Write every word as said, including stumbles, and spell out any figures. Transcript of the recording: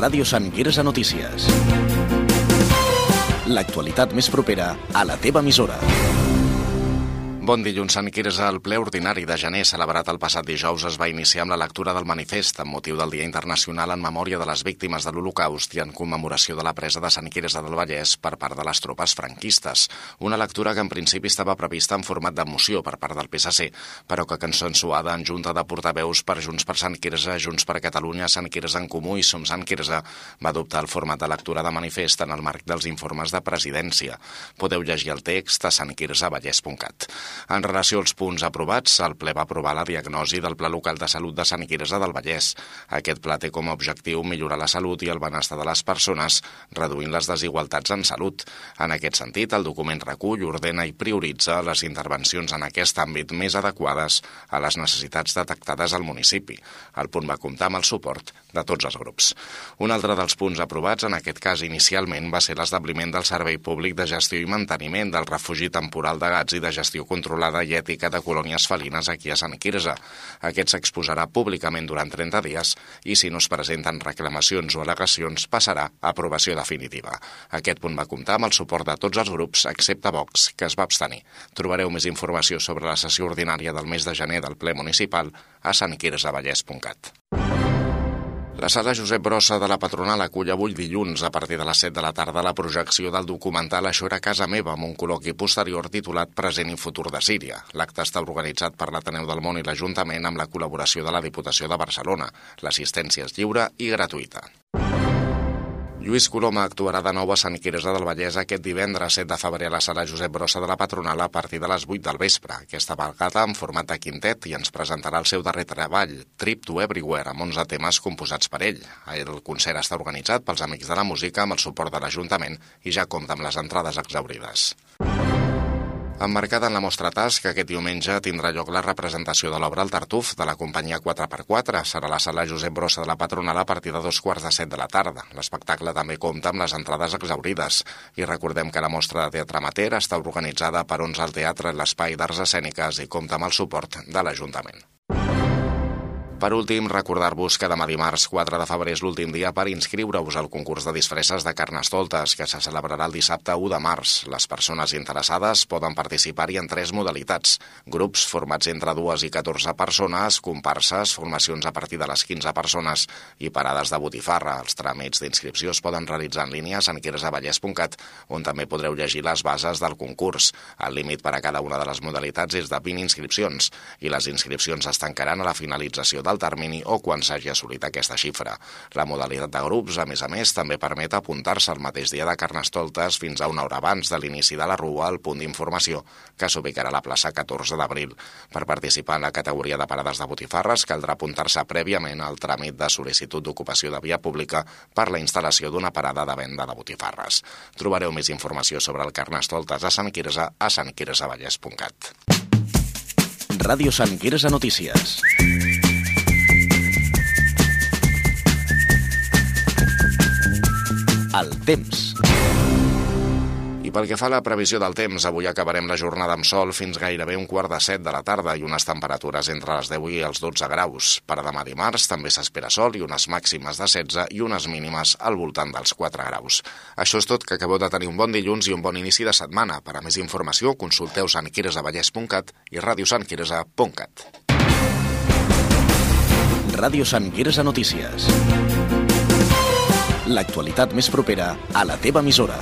Ràdio Sant Quirze Notícies. L'actualitat més propera a la teva emissora. Bon dilluns, Sant Quirze. El ple ordinari de gener celebrat el passat dijous es va iniciar amb la lectura del manifest amb motiu del Dia Internacional en memòria de les víctimes de l'Holocaust i en commemoració de la presa de Sant Quirze del Vallès per part de les tropes franquistes. Una lectura que en principi estava prevista en format de moció per part del P S C, però que consensuada en junta de portaveus per Junts per Sant Quirze, Junts per Catalunya, Sant Quirze en Comú i Som Sant Quirze, va adoptar el format de lectura de manifest en el marc dels informes de presidència. Podeu llegir el text a sant quirze vallès punt cat. En relació als punts aprovats, el ple va aprovar la diagnosi del Pla Local de Salut de Sant Quirze del Vallès. Aquest pla té com a objectiu millorar la salut i el benestar de les persones, reduint les desigualtats en salut. En aquest sentit, el document recull, ordena i prioritza les intervencions en aquest àmbit més adequades a les necessitats detectades al municipi. El punt va comptar amb el suport de tots els grups. Un altre dels punts aprovats, en aquest cas inicialment, va ser l'establiment del Servei Públic de Gestió i Manteniment del Refugi Temporal de Gats i de Gestió Controlada i Ètica de Colònies Felines aquí a Sant Quirze. Aquest s'exposarà públicament durant trenta dies i, si no es presenten reclamacions o al·legacions, passarà a aprovació definitiva. Aquest punt va comptar amb el suport de tots els grups, excepte Vox, que es va abstenir. Trobareu més informació sobre la sessió ordinària del mes de gener del ple municipal a sant quirze vallès punt cat. La sala Josep Brossa de la Patronal acull avui dilluns a partir de les set de la tarda la projecció del documental Això era casa meva, amb un col·loqui posterior titulat Present i futur de Síria. L'acte està organitzat per l'Ateneu del Món i l'Ajuntament amb la col·laboració de la Diputació de Barcelona. L'assistència és lliure i gratuïta. Lluís Coloma actuarà de nou a Sant Quirze del Vallès aquest divendres set de febrer a la sala Josep Brossa de la Patronal a partir de les vuit del vespre. Aquesta vegada en format de quintet i ens presentarà el seu darrer treball, Trip to Everywhere, amb onze temes composats per ell. El concert està organitzat pels Amics de la Música amb el suport de l'Ajuntament i ja compta amb les entrades exhaurides. Emmarcada en la mostra Task, aquest diumenge tindrà lloc la representació de l'obra El Tartuf de la companyia quatre per quatre. Serà a la sala Josep Brossa de la Patronal a partir de dos quarts de set de la tarda. L'espectacle també compta amb les entrades exhaurides. I recordem que la mostra de teatre amateur està organitzada per onze al Teatre l'Espai d'Arts Escèniques i compta amb el suport de l'Ajuntament. Per últim, recordar-vos que demà dimarts quatre de febrer és l'últim dia per inscriure-us al concurs de disfresses de Carnestoltes, que se celebrarà el dissabte u de març. Les persones interessades poden participar-hi en tres modalitats. Grups formats entre dues i catorze persones, comparses, formacions a partir de les quinze persones i parades de botifarra. Els tràmits d'inscripció es poden realitzar en línia a sant quirze vallès punt cat, on també podreu llegir les bases del concurs. El límit per a cada una de les modalitats és de vint inscripcions i les inscripcions es tancaran a la finalització de del termini o quan s'hagi assolit aquesta xifra. La modalitat de grups, a més a més, també permet apuntar-se el mateix dia de Carnestoltes fins a una hora abans de l'inici de la rua al punt d'informació que s'ubicarà a la plaça catorze d'abril. Per participar en la categoria de parades de botifarres caldrà apuntar-se prèviament al tràmit de sol·licitud d'ocupació de via pública per la instal·lació d'una parada de venda de botifarres. Trobareu més informació sobre el Carnestoltes a Sant Quirze a sant quirze vallès punt cat. Ràdio Sant Quirze Notícies. El temps. I pel que fa a la previsió del temps, avui acabarem la jornada amb sol fins gairebé un quart de set de la tarda i unes temperatures entre les deu i els dotze graus. Per demà dimarts també s'espera sol i unes màximes de setze i unes mínimes al voltant dels quatre graus. Això és tot, que acabeu de tenir un bon dilluns i un bon inici de setmana. Per a més informació, consulteu sant quirze vallès punt cat i ràdio sant quirze punt cat. Ràdio Sant Quirze Notícies. L'actualitat més propera a la teva emissora.